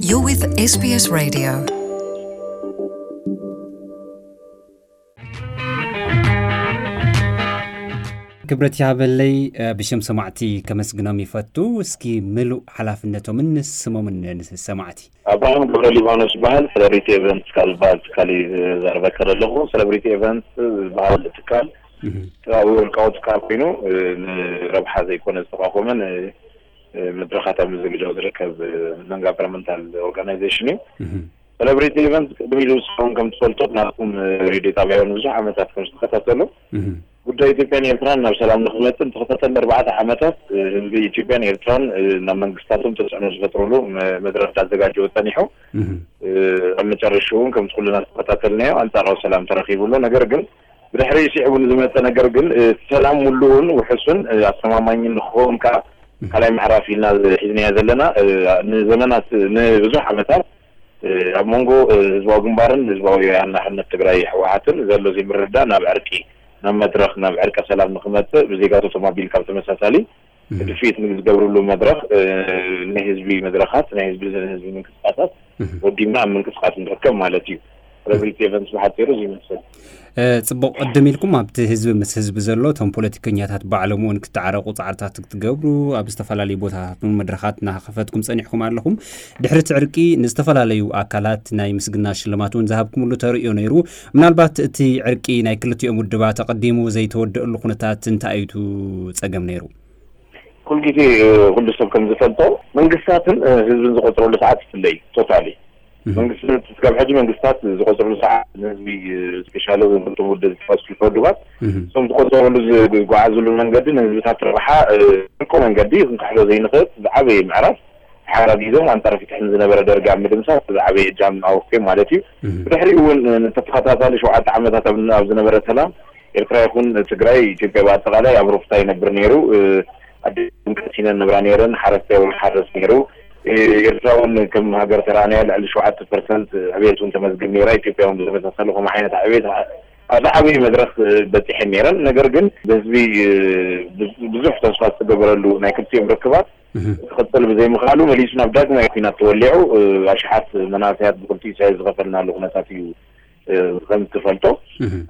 You're with S B S Radio. ክብረት ይሃበለይ። ብሽም ሰማዕቲ ከመስግኖም ይፈቱ። እስኪ ምሉእ ሓላፍነቶምን ስሞምን ንሰማዕቲ። ኣብርሃም ገብረ ሊባኖስ ይበሃል። ሰለብሪቲ ኤቨንትስ ካብ ዝበሃል ትካል እዩ ዘርበከ ዘለኹ። ሰለብሪቲ ኤቨንትስ ዝበሃል ትካል ኣብ ውልቃዊ ትካል ኮይኑ፣ ንረብሓ ዘይኮነ ዝተቋቋመ፣ መድረኻት ኣብ ምዝግጃው ዝርከብ፣ non governmental organization እዩ። ሰለብሪቲ ኢቨንት ቅድሚ ኢሉ ንስኹም ከም ትፈልጡ ናትኩም ሬድዮ ጣብያ እውን ብዙሕ ዓመታት ከም ዝተኸታተሉ፣ ጉዳይ ኢትዮጵያን ኤርትራን ናብ ሰላም ንክመፅእ ንተኸታተለ ኣርባዕተ ዓመታት ህዝቢ ኢትዮጵያን ኤርትራን ናብ መንግስታቶም ተፅዕኖ ዝፈጥሩሉ መድረክ እንዳዘጋጀወ ፀኒሑ፣ ኣብ መጨረሽኡ እውን ከምቲ ኩልና ዝተኸታተልናዮ ኣንፃራዊ ሰላም ተረኪቡ ኣሎ። ነገር ግን ብድሕሪ ስዒቡ ንዝመፀ ነገር ግን እቲ ሰላም ምሉእን ውሑስን ኣስተማማኝን ንክኸውን ከዓ ካልኣይ ምዕራፍ ኢልና ሒዝናዮ ዘለና፣ ንዘመናት ንብዙሕ ዓመታት ኣብ መንጎ ህዝባዊ ግንባርን ህዝባዊ ወያነ ሓርነት ትግራይ ህወሓትን ዘሎ ዘይምርድዳእ ናብ ዕርቂ፣ ናብ መድረኽ፣ ናብ ዕርቀ ሰላም ንክመፅእ ብዜጋታቶም ኣቢልካ ብተመሳሳሊ ድፍኢት ንዝገብርሉ መድረኽ፣ ናይ ህዝቢ መድረኻት፣ ናይ ህዝቢ ንህዝቢ ምንቅስቃሳት ወዲብና ኣብ ምንቅስቃስ ንርከብ ማለት እዩ። ረብሪት ኤቨንትስ ብሓፂሩ እዚ ይመስል። ጽቡቕ ቅድም ኢልኩም ኣብቲ ህዝቢ ምስ ህዝቢ ዘሎ እቶም ፖለቲከኛታት ባዕሎም እውን ክተዓረቑ ጻዕርታት ክትገብሩ ኣብ ዝተፈላለዩ ቦታታት እውን መድረኻት እናኸፈትኩም ጸኒሕኩም ኣለኹም። ድሕሪ እቲ ዕርቂ ንዝተፈላለዩ ኣካላት ናይ ምስግና ሽልማት እውን ዝሃብኩምሉ ተርእዮ ነይሩ። ምናልባት እቲ ዕርቂ ናይ ክልቲኦም ውድባት ኣቐዲሙ ዘይተወደአሉ ኩነታት እንታይ እዩ እቲ ጸገም ነይሩ? ኩልጊዜ ኩሉ ሰብ ከም ዝፈልጦ መንግስታትን ህዝብን ዝቆፅረሉ ሰዓት ይፍለይ ቶታሊ። መንግስቲ ስጋብ ሕጂ መንግስታት ዝቆፅርሉ ሰዓት ንህዝቢ ስፔሻሊ እዞም ክልተ ውድብ ዝጠቀስኩ ውድባት እዞም ዝቆፀርሉ ዝጓዓዝሉ መንገዲ ንህዝብታት ረብሓ እኮ መንገዲ ክንካሕዶ ዘይንኽእል ዝዓበየ ምዕራፍ ተሓጋጊዞም ኣንፃር ፍትሒ ዝነበረ ደርጊ ኣብ ምድምሳስ ዝዓበየ እጃም ኣወፍዮም ማለት እዩ። ብድሕሪኡ እውን ንተተኸታታሊ ሸውዓተ ዓመታት ኣብ ዝነበረ ሰላም ኤርትራ ይኹን ትግራይ ኢትዮጵያ ብኣጠቃላይ ኣብ ሩፍታ ይነብር ነይሩ። ኣዴታትን ቀሲነን ነብራ ነይረን፣ ሓረስታይ እውን ሓረስ ነይሩ። ኤርትራ እውን ከም ሃገር ተራእናያ ልዕሊ ሸውዓተ ፐርሰንት ዕብየት እውን ተመዝግብ ነይራ። ኢትዮጵያ እውን ብተመሳሳሊ ከምኡ ዓይነት ዕብየት ኣብ ዝዓበየ መድረኽ በፂሐን ነይረን። ነገር ግን ብህዝቢ ብዙሕ ተስፋ ዝተገበረሉ ናይ ክልቲኦም ርክባት ክቕፅል ብዘይምኽኣሉ መሊሱ ናብ ዳግማይ ኲናት ተወሊዑ ኣሽሓት መናእሰያት ብክልቲኡ ሳይድ ዝኸፈልናሉ ኩነታት እዩ። ከም ትፈልጦ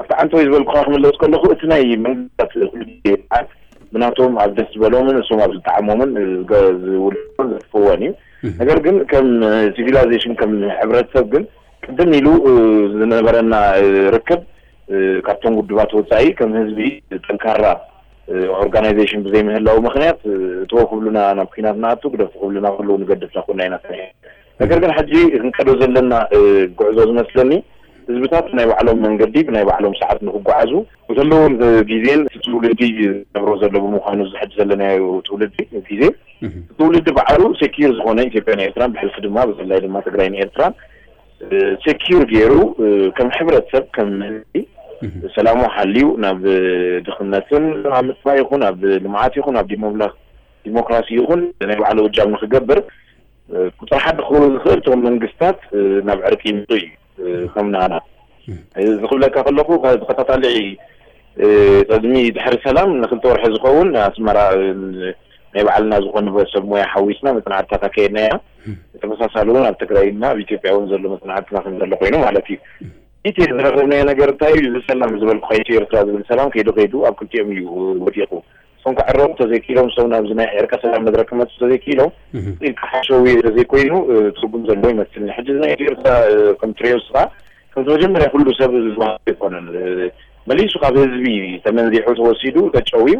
ኣብቲ ዓንተወይ ዝበልኩኻ ክምለስ ከለኹ እቲ ናይ መንግስታት ብናቶም ኣብ ደስ ዝበሎምን እሶም ኣብ ዝጠዓሞምን ዝውልውን ዘጥፍወን እዩ። ነገር ግን ከም ሲቪላይዜሽን ከም ሕብረተሰብ ግን ቅድም ኢሉ ዝነበረና ርክብ ካብቶም ውድባት ወፃኢ ከም ህዝቢ ጠንካራ ኦርጋናይዜሽን ብዘይምህላው ምክንያት እትዎ ክብሉና ናብ ኩናት ንኣቱ ግደፉ ክብሉና ከለዉ ንገድፍ ናኮና ኢና ሰሪሕና። ነገር ግን ሕጂ ክንቀዶ ዘለና ጉዕዞ ዝመስለኒ ህዝብታት ናይ ባዕሎም መንገዲ ብናይ ባዕሎም ሰዓት ንክጓዓዙ ብዘለዎም ግዜን እቲ ትውልዲ ዝነብሮ ዘሎ ብምዃኑ እዚ ሕጂ ዘለናዮ ትውልዲ ግዜ ትውልዲ ባዕሉ ሴኪር ዝኾነ ኢትዮጵያን ኤርትራን ብሕልፊ ድማ ብፍላይ ድማ ትግራይን ኤርትራን ሴኪር ገይሩ ከም ሕብረተሰብ ከም ህዝቢ ሰላሙ ሓልዩ ናብ ድኽነትን ኣብ ምጥፋእ ይኹን ኣብ ልምዓት ይኹን ኣብ ዲሞክራሲ ይኹን ናይ ባዕሉ እጃም ንክገብር ቁፅሪ ሓደ ክኸውን ዝኽእል እቶም መንግስታት ናብ ዕርቂ ይምፁ እዩ። ከም ናና እዚ ክብለካ ከለኹ ተኸታታሊ ቅድሚ ድሕሪ ሰላም ንክልተ ወርሒ ዝኸውን ኣስመራ ናይ ባዕልና ዝኾነ ሰብ ሞያ ሓዊስና መፅናዕትታት ኣካየድና ኢና። ተመሳሳሊ እውን ኣብ ትግራይና ኣብ ኢትዮጵያ እውን ዘሎ መፅናዕትና ከም ዘሎ ኮይኑ ማለት እዩ። እቲ ዝረኸብናዮ ነገር እንታይ እዩ? እዚ ሰላም ዝበልኩ ከይቱ ኤርትራ ዝብል ሰላም ከይዱ ከይዱ ኣብ ክልቲኦም እዩ ወዲቑ። እሶም ክዕረቑ ተዘይክኢሎም እሶም ናብዚ ናይ ዕርቀ ሰላም መድረክ ክመፁ ተዘይክኢሎም ኢልካ ሓሸዊ ተዘይኮይኑ ትርጉም ዘለዎ ይመስልኒ። ሕጂ ናይ ኤርትራ ከም ትሪዮ ስኻ ከምቲ መጀመርያ ኩሉ ሰብ ዝባህሉ ኣይኮነን። መሊሱ ካብ ህዝቢ ተመንዚሑ ተወሲዱ ተጨውዩ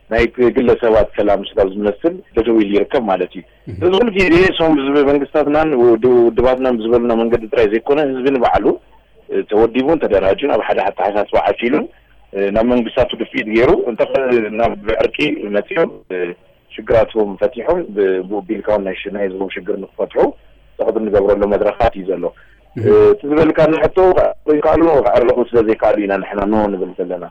ናይ ግለሰባት ሰላም ስጋብ ዝመስል ደደው ኢሉ ይርከብ ማለት እዩ። እዚ ኩሉ ግዜ እሶም መንግስታትናን ውድባትናን ብዝበሉና መንገዲ ጥራይ ዘይኮነ ህዝቢ ንባዕሉ ተወዲቡን ተደራጁን ኣብ ሓደ ኣተሓሳስባ ዓሲሉን ናብ መንግስታቱ ድፍኢት ገይሩ እንተ ናብ ዕርቂ መፂኦም ሽግራቶም ፈቲሖም ብኡ ቢልካ እውን ናይ ናይ ህዝቦም ሽግር ንክፈትሑ ፀቕጢ ንገብረሉ መድረኻት እዩ ዘሎ። እቲ ዝበልካ ንሕቶ ይከኣሉ ክዕረቑ ስለ ዘይከኣሉ ኢና ንሕና ኖ ንብል ዘለና።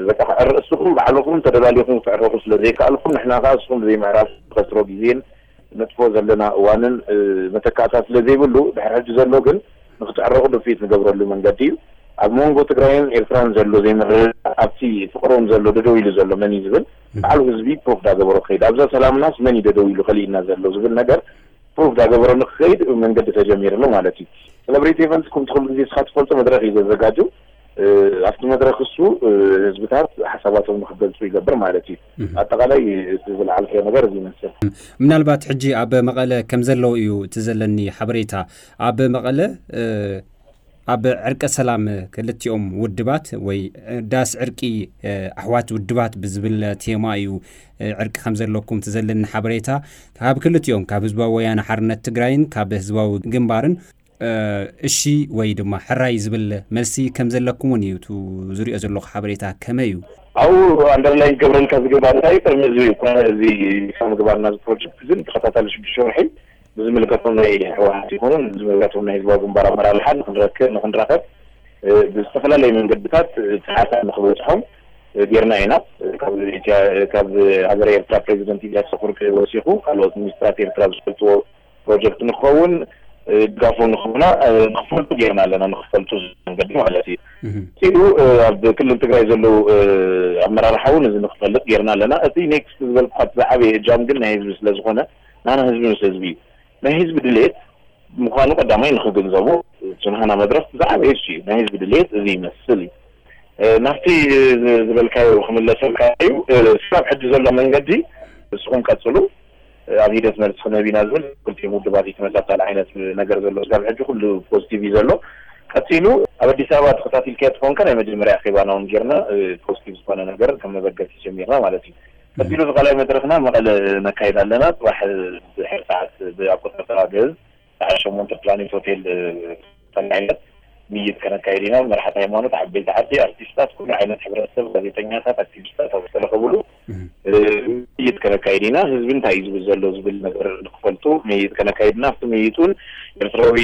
በቃ ክዕረ እስኹም ባዕልኹም ተደላሊኹም ክትዕረቑ ስለ ዘይከኣልኩም ንሕና ከዓ እስኹም ብዘይምዕራፍ ከስሮ ግዜን ነጥፎ ዘለና እዋንን መተካእታ ስለ ዘይብሉ ድሕሪ ሕጂ ዘሎ ግን ንክትዕረቑ ድፍኢት ንገብረሉ መንገዲ እዩ። ኣብ መንጎ ትግራይን ኤርትራን ዘሎ ዘይምርድዳእ ኣብቲ ፍቅሮም ዘሎ ደደው ኢሉ ዘሎ መን እዩ ዝብል ባዕሉ ህዝቢ ፕሩፍ ዳገበሮ ክኸይድ ኣብዛ ሰላምናስ መን እዩ ደደው ኢሉ ከሊእና ዘሎ ዝብል ነገር ፕሩቭ ዳገበረ ንክኸይድ መንገዲ ተጀሚሩ ኣሎ ማለት እዩ። ሰለብሬቲ ኤቨንትስ ከምቲ ኩሉ ግዜ ስኻ ትፈልጦ መድረኽ እዩ ዘዘጋጁ። ኣብቲ መድረኽ እሱ ህዝብታት ሓሳባቶም ንክገልፁ ይገብር ማለት እዩ። ኣጠቃላይ እቲ ዝለዓልከዮ ነገር እዚ ይመስል። ምናልባት ሕጂ ኣብ መቐለ ከም ዘለዉ እዩ እቲ ዘለኒ ሓበሬታ። ኣብ መቐለ ኣብ ዕርቀ ሰላም ክልቲኦም ውድባት ወይ ዳስ ዕርቂ ኣሕዋት ውድባት ብዝብል ቴማ እዩ ዕርቂ ከም ዘለኩም እቲ ዘለኒ ሓበሬታ። ካብ ክልቲኦም ካብ ህዝባዊ ወያነ ሓርነት ትግራይን ካብ ህዝባዊ ግንባርን እሺ ወይ ድማ ሕራይ ዝብል መልሲ ከም ዘለኩም እውን እዩ ዝሪኦ ዘለኹ ሓበሬታ። ከመይ እዩ? ኣብኡ ኣንደርላይን ክገብረልካ ዝግባእ እንታይ እዩ? ቅድሚ እዚ እዚ ምግባርና እዚ ፕሮጀክት ግን ተኸታታሊ ሽዱሽተ ወርሒ ብዝምልከቶም ናይ ህወሓት ይኹኑ ብዝምልከቶም ናይ ህዝባዊ ግንባር ኣመራርሓ ንክንረክብ ንክንራኸብ ብዝተፈላለዩ መንገድታት ፃዕርታት ንክበፅሖም ጌርና ኢና። ካብ ሃገረ ኤርትራ ፕሬዚደንት ኢሳያስ ኣፈወርቂ ወሲኹ ካልኦት ሚኒስትራት ኤርትራ ዝፈልጥዎ ፕሮጀክት ንክኸውን ድጋፎም ንክህቡና ንክፈልጡ ጌርና ኣለና። ንክፈልጡ መንገዲ ማለት እዩ። ኢሉ ኣብ ክልል ትግራይ ዘለዉ ኣመራርሓ እውን እዚ ንክፈልጥ ጌርና ኣለና። እቲ ኔክስት ዝበልኩካ ዝዓበየ እጃም ግን ናይ ህዝቢ ስለዝኾነ ናና ህዝቢ ምስ ህዝቢ እዩ። ናይ ህዝቢ ድሌት ምዃኑ ቀዳማይ ንክግንዘቡ ዝንሃና መድረክ ዝዓበየ እሱ እዩ። ናይ ህዝቢ ድሌት እዚ ይመስል እዩ። ናብቲ ዝበልካዮ ክምለሰልካ እዩ። ስጋብ ሕጂ ዘሎ መንገዲ ንስኹም ቀፅሉ፣ ኣብ ሂደት መልሲ ክነቢና ዝብል ክልቲኦም ውድባት ተመሳሳሊ ዓይነት ነገር ዘሎ ስጋብ ሕጂ ኩሉ ፖዚቲቭ እዩ ዘሎ። ቀፂሉ ኣብ ኣዲስ ኣበባ ተኸታቲልካዮ ትኾንካ ናይ መጀመርያ ኣኼባና እውን ጌርና ፖዚቲቭ ዝኾነ ነገር ከም መበገሲ ጀሚርና ማለት እዩ። ቀፂሉ ዝካልኣይ መድረክና መቐለ ነካይድ ኣለና። ፅባሕ ድሕሪ ሰዓት ብኣቆጣጠራ ግእዝ ሰዓት ሸሞንተ ፕላኔት ሆቴል ተላዒለት ምይይጥ ከነካይድ ኢና። መራሕቲ ሃይማኖት፣ ዓበይቲ ዓዲ፣ ኣርቲስታት፣ ኩሉ ዓይነት ሕብረተሰብ፣ ጋዜጠኛታት፣ ኣክቲቪስታት ኣብ ዝተረኸብሉ ምይይጥ ከነካይድ ኢና። ህዝቢ እንታይ እዩ ዝብል ዘሎ ዝብል ነገር ንክፈልጡ ምይይጥ ከነካይድ ኢና። ኣብቲ ምይይጥ እውን ኤርትራዊ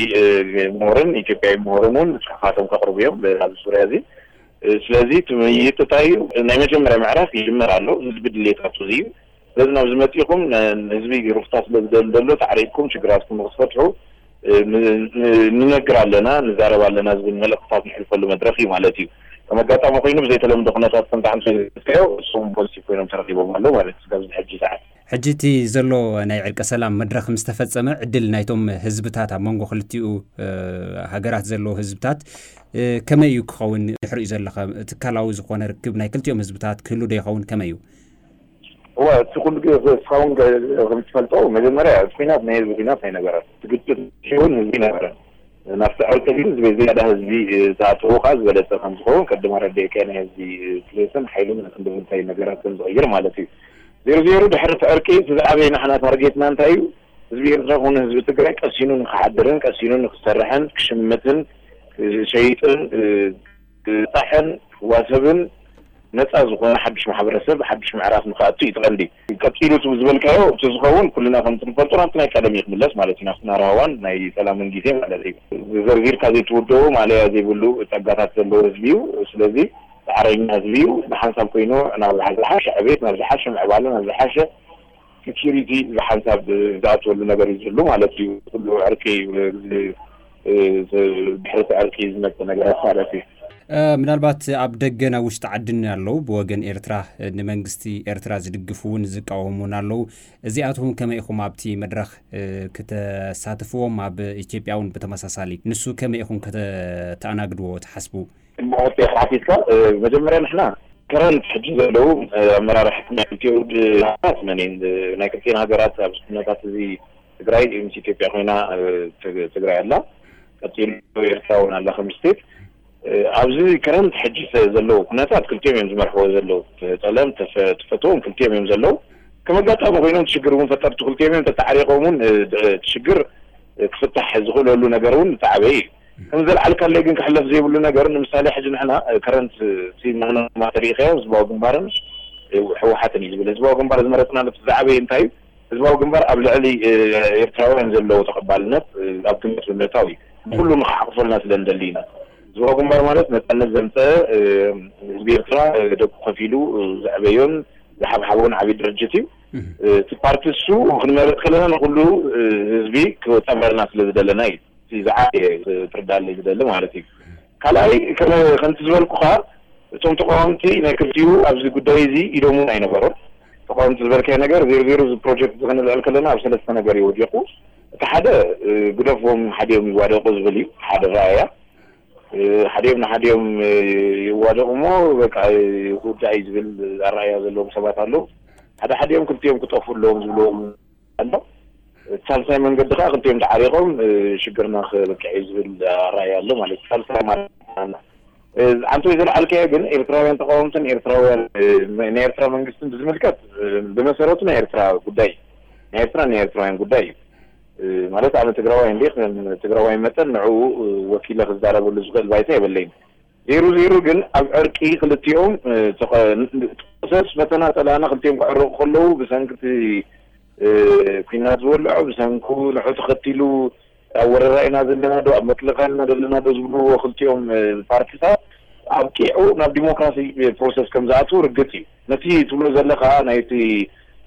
ምሁርን ኢትዮጵያዊ ምሁርን እውን ፅሑፋቶም ከቕርቡ እዮም ኣብዚ ዙርያ እዚ። ስለዚ እቲ ምይይጥ እንታይ እዩ? ናይ መጀመርያ ምዕራፍ ይጅመር ኣሎ። ህዝቢ ድሌታቱ እዚ እዩ። ስለዚ ናብዚ መፂኹም ህዝቢ ሩፍታ ስለ ዝደሊ ዘሎ ፃዕሪትኩም ችግራትኩም ንክትፈትሑ ንነግር ኣለና፣ ንዛረብ ኣለና ዝብል መልእክትታት ንሕልፈሉ መድረክ እዩ ማለት እዩ። ከም ኣጋጣሚ ኮይኑ ብዘይተለምዶ ኩነታት ከምቲ ሓንቲ ዝዮ እሱም ፖዚቲቭ ኮይኖም ተረኪቦም ኣለዉ ማለት እዩ። ኣብዚ ሕጂ ሰዓት ሕጂ እቲ ዘሎ ናይ ዕርቀ ሰላም መድረክ ምስ ተፈጸመ ዕድል ናይቶም ህዝብታት ኣብ መንጎ ክልቲኡ ሃገራት ዘለዉ ህዝብታት ከመይ እዩ ክኸውን? ድሕሪኡ ዘለኸ ትካላዊ ዝኾነ ርክብ ናይ ክልቲኦም ህዝብታት ክህሉ ዶ ይኸውን? ከመይ እዩ? እዋ እቲ ኩሉ ግዜ እስኻውን ከምትፈልጦ መጀመርያ እቲ ኩናት ናይ ህዝቢ ኩናት ኣይነበረን። እቲ ግጭት እውን ህዝቢ ነበረ። ናብቲ ዕርቂ ግን ዝበይ ዝያዳ ህዝቢ ዝኣተዎ ከዓ ዝበለፀ ከም ዝኸውን ቅድም ኣረዲእካዮ ናይ ህዝቢ ድሌትን ሓይሉን ክንዲ ምንታይ ነገራት ከም ዝቕይር ማለት እዩ። ዜሮ ዜሮ ድሕሪ እቲ ዕርቂ እቲ ዝዓበየ ንሕና ታርጌትና እንታይ እዩ? ህዝቢ ኤርትራ ኮነ ህዝቢ ትግራይ ቀሲኑ ንክሓድርን ቀሲኑ ንክሰርሕን ክሽምትን ክሸይጥን ክጣሕን ክዋሰብን ነፃ ዝኾነ ሓዱሽ ማሕበረሰብ ሓዱሽ ምዕራፍ ንክኣቱ እዩ እቲ ቀንዲ። ቀፂሉ እቲ ዝበልካዮ እቲ ዝኸውን ኩልና ከምቲ ንፈልጦ ናብቲ ናይ ቀደም እዩ ክምለስ ማለት እዩ። ናብቲ ናራዋን ናይ ሰላምን ግዜ ማለት እዩ። ዘርዚርካ ዘይትውደቦ ማለያ ዘይብሉ ፀጋታት ዘለዎ ህዝቢ እዩ። ስለዚ ፃዕረኛ ህዝቢ እዩ። ብሓንሳብ ኮይኑ ናብ ዝሓ- ዝሓሸ ዕቤት ናብ ዝሓሸ ምዕባለ ናብ ዝሓሸ ሴኪሪቲ ብሓንሳብ ዝኣትወሉ ነገር እዩ ዝህሉ ማለት እዩ። ኩሉ ዕርቂ ድሕርቲ ዕርቂ ዝመፀ ነገራት ማለት እዩ። ምናልባት ኣብ ደገን ኣብ ውሽጢ ዓድን ኣለዉ ብወገን ኤርትራ ንመንግስቲ ኤርትራ ዝድግፉ እውን ዝቃወሙን ኣለዉ። እዚኣትኩም ከመይ ኢኹም ኣብቲ መድረኽ ክተሳትፍዎም ኣብ ኢትዮጵያ እውን ብተመሳሳሊ ንሱ ከመይ ኢኹም ከተኣናግድዎ ትሓስቡ? ብቆጢ ሓቲትካ መጀመርያ ንሕና ከረንት ሕጂ ዘለዉ ኣመራርሓ ናይ ክልቲኡ ውድባት መን ናይ ክልቲኤን ሃገራት ኣብዚ ኩነታት እዚ ትግራይ ምስ ኢትዮጵያ ኮይና ትግራይ ኣላ ቀፂሉ ኤርትራ እውን ኣላ ከም ስቴት ኣብዚ ከረንት ሕጂ ዘለዉ ኩነታት ክልቲኦም እዮም ዝመርሕዎ ዘለዉ። ጠለም ትፈትዎም ክልቲኦም እዮም ዘለዉ። ከም ኣጋጣሚ ኮይኖም ሽግር እውን ፈጠርቲ ክልቲኦም እዮም ተተዓሪቆም እውን ሽግር ክፍታሕ ዝኽእለሉ ነገር እውን ዝተዓበየ እዩ። ከም ዘልዓልካለይ ግን ክሕለፍ ዘይብሉ ነገር ንምሳሌ ሕጂ ንሕና ከረንት ሲ መግለማ ተሪኢኻዮ ህዝባዊ ግንባርን ህወሓትን እዩ ዝብል። ህዝባዊ ግንባር ዝመረፅናሉ እቲ ዝዓበየ እንታይ እዩ? ህዝባዊ ግንባር ኣብ ልዕሊ ኤርትራውያን ዘለዎ ተቐባልነት ኣብ ግምት ብምእታው እዩ። ኩሉ ንክሓቁፈልና ስለ ንደሊ ኢና። ህዝባዊ ግንባር ማለት ነፃነት ዘምፀአ ህዝቢ ኤርትራ ደቁ ከፊሉ ዘዕበዮን ዝሓብሓቦን ዓብዪ ድርጅት እዩ። እቲ ፓርቲ እሱ ክንመርፅ ከለና ንኩሉ ህዝቢ ክፀምረልና ስለ ዝደለና እዩ። ዝዓበየ ትርዳለይ ዝደሊ ማለት እዩ። ካልኣይ ከምቲ ዝበልኩኻ እቶም ተቃወምቲ ናይ ክልቲኡ ኣብዚ ጉዳይ እዚ ኢዶም እውን ኣይነበሮም። ተቃወምቲ ዝበልካዮ ነገር ዜሮ ዜሮ እዚ ፕሮጀክት እዚ ክንልዕል ከለና ኣብ ሰለስተ ነገር እዩ ወዲቑ። እቲ ሓደ ግደፍዎም፣ ሓዲኦም ይዋደቁ ዝብል እዩ ሓደ ራእያ። ሓዲኦም ንሓዲኦም ይዋደቁ እሞ በቃ ክውዳእ እዩ ዝብል ኣረኣያ ዘለዎም ሰባት ኣለዉ። ሓደ ሓዲኦም ክልቲኦም ክጠፍኡ ኣለዎም ዝብልዎም ኣሎ። እቲ ሳልሳይ መንገዲ ከዓ ክልቲኦም ተዓሪቆም ሽግርና ክበቅዕ እዩ ዝብል ኣረኣያ ኣሎ ማለት እዩ። ሳልሳይ ማለት ኣንተ ዘለዓልካዮ ግን ኤርትራውያን ተቃወምትን ኤርትራውያን ናይ ኤርትራ መንግስትን ብዝምልከት ብመሰረቱ ናይ ኤርትራ ጉዳይ ናይ ኤርትራ ናይ ኤርትራውያን ጉዳይ እዩ። ማለት ኣነ ትግራዋይ እንዲ ትግራዋይ መጠን ንዕኡ ወኪለ ክዛረበሉ ዝኽእል ባይታ የበለይን። ዜሩ ዜሩ ግን ኣብ ዕርቂ ክልቲኦም ፕሮሰስ በተናጠላና ክልቲኦም ክዕረቁ ከለዉ ብሰንክቲ ኩናት ዝበልዖ ብሰንኩ ንዑ ተኸቲሉ ኣብ ወረራ ኢና ዘለና ዶ ኣብ መጥለኻ ኢና ዘለና ዶ ዝብልዎ ክልቲኦም ፓርቲታት ኣብቂዑ ናብ ዲሞክራሲ ፕሮሰስ ከም ዝኣትዉ ርግፅ እዩ። ነቲ ትብሎ ዘለኻ ናይቲ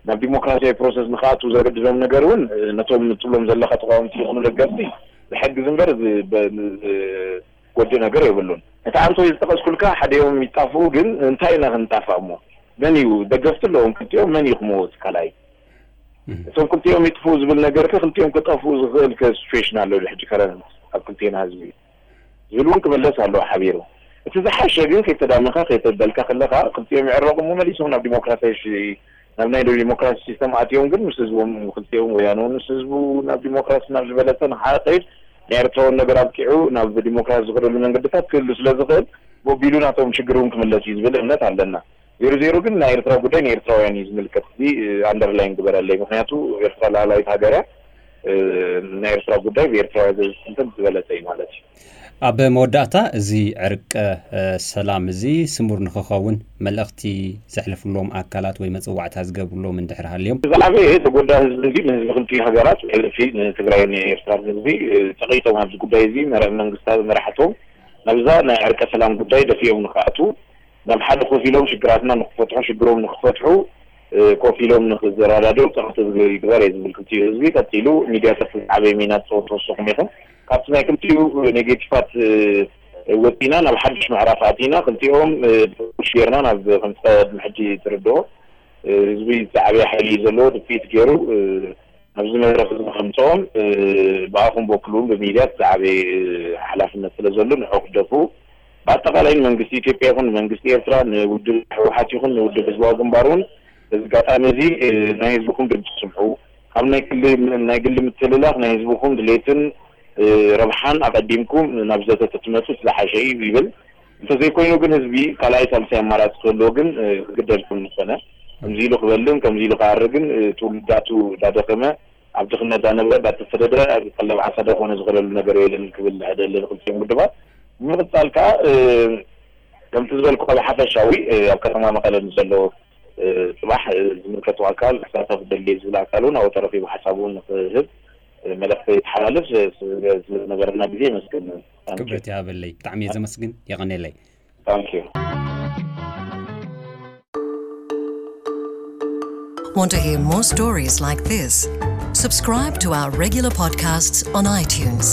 ናብ ዲሞክራሲያዊ ፕሮሰስ ንክኣትዉ ዘገድዶም ነገር እውን ነቶም ትብሎም ዘለኻ ተቃወምቲ ይኹኑ ደገፍቲ ብሕጊ ዝንበር ዝጎድእ ነገር የብሉን። እቲ ኣንቶ ዝጠቀስኩልካ ሓዲኦም ይጣፍኡ ግን እንታይ ኢና ክንጣፋእ እሞ መን እዩ ደገፍቲ ኣለዎም ክልቲኦም መን እዩ ክመወት ካልኣይ እቶም ክልቲኦም ይጥፍኡ ዝብል ነገር ከ ክልቲኦም ክጠፍኡ ዝኽእል ከ ሲቹዌሽን ኣሎ ሕጂ ከረንት ኣብ ክልቴና ህዝቢ ዝብል እውን ክምለስ ኣለዎ ሓቢሩ። እቲ ዝሓሸ ግን ከይተዳመኻ ከይተበልካ ከለኻ ክልቲኦም ይዕረቑ እሞ መሊሶም ናብ ዲሞክራሲያዊ ናብ ናይ ዲሞክራሲ ሲስተም ኣትዮም ግን ምስ ህዝቦም ክልቲኦም ወያነ እውን ምስ ህዝቡ ናብ ዲሞክራሲ ናብ ዝበለጸ ንሓቀይድ ናይ ኤርትራውን ነገር ኣብቂዑ ናብ ዲሞክራሲ ዝኸደሉ መንገድታት ክህሉ ስለ ዝኽእል ቦቢሉ ናቶም ሽግር እውን ክምለስ እዩ ዝብል እምነት ኣለና። ዜሮ ዜሮ ግን ናይ ኤርትራ ጉዳይ ንኤርትራውያን እዩ ዝምልከት። እዚ ኣንደርላይን ግበረለይ፣ ምክንያቱ ኤርትራ ላዕላዊት ሃገር እያ። ናይ ኤርትራ ጉዳይ ብኤርትራውያን ዘዝትንትን ዝበለጸ እዩ ማለት እዩ። ኣብ መወዳእታ እዚ ዕርቀ ሰላም እዚ ስሙር ንክኸውን መልእኽቲ ዘሕልፍሎም ኣካላት ወይ መፅዋዕታ ዝገብርሎም እንድሕር ሃልዮም? ዝዓበየ ተጎዳ ህዝቢ እዚ ንህዝቢ ክልቲኡ ሃገራት ብሕልፊ ንትግራይ ንኤርትራ ህዝቢ ፀቂጦም ኣብዚ ጉዳይ እዚ መራሒ መንግስታት መራሕቶም ናብዛ ናይ ዕርቀ ሰላም ጉዳይ ደፊኦም ንክኣትዉ ናብ ሓደ ኮፍ ኢሎም ሽግራትና ንክፈትሑ ሽግሮም ንክፈትሑ ኮፍ ኢሎም ንክዘራዳድኡ ፀቕጢ ይግበር እየ ዝብል ክልቲኡ ህዝቢ። ቀፂሉ ሚድያታት ዝዓበየ ሚና ትፃወቱ ንስኹም ኢኹም። ካብቲ ናይ ክልቲኡ ኔጌቲቫት ወፂና ናብ ሓድሽ ምዕራፍ ኣቲና ክልቲኦም ሽ ጌርና ናብ ከምቲ ቅድሚ ሕጂ ትርድኦ ህዝቢ ዝዓበየ ሓይሊ እዩ ዘለዎ ድፍኢት ገይሩ ኣብዚ መድረክ እዚ ንኸምፅኦም ብኣኹም በኩል እውን ብሚድያ ዝዓበየ ሓላፍነት ስለ ዘሎ ንዑ ክደፉ ብኣጠቃላይ ንመንግስቲ ኢትዮጵያ ይኹን ንመንግስቲ ኤርትራ ንውድብ ህወሓት ይኹን ንውድብ ህዝባዊ ግንባር እውን በዚ ኣጋጣሚ እዚ ናይ ህዝብኩም ድምፂ ስምዑ ካብ ናይ ግሊ ናይ ግሊ ምትልላኽ ናይ ህዝብኩም ድሌትን ረብሓን ኣቐዲምኩም ናብ ዘተ ተትመፁ ዝሓሸ እዩ ይብል። እንተዘይኮይኑ ግን ህዝቢ ካልኣይ ሳልሳይ ኣማራፂ ክህልዎ ግን ክግደድ ከም ዝኾነ ከምዚ ኢሉ ክበልን ከምዚ ኢሉ ክኣርግን ትውልዳቱ እንዳደኸመ ኣብ ድኽነት ዳነበረ ዳተሰደደ ቀለብ ዓሳ ዳኾነ ዝኸደሉ ነገር የለን ክብል ሕደ ኣለኒ ክልቲኦም ውድባት። ብምቕፃል ከዓ ከምቲ ዝበልኩ ካብ ሓፈሻዊ ኣብ ከተማ መቐለ ንዘሎ ፅባሕ ዝምልከቱ ኣካል ክሳተፍ ደልየ ዝብል ኣካል እውን ኣብኡ ተረኺቡ ሓሳቡ ንክህብ መልእኽቲ ይተሓላልፍ። ስለዝነበረና ግዜ የመስግን። ክብረት ይሃበለይ። ብጣዕሚ እየ ዘመስግን። የቐኔለይ። Thank you. Want to hear more stories like this? Subscribe to our regular podcasts on iTunes.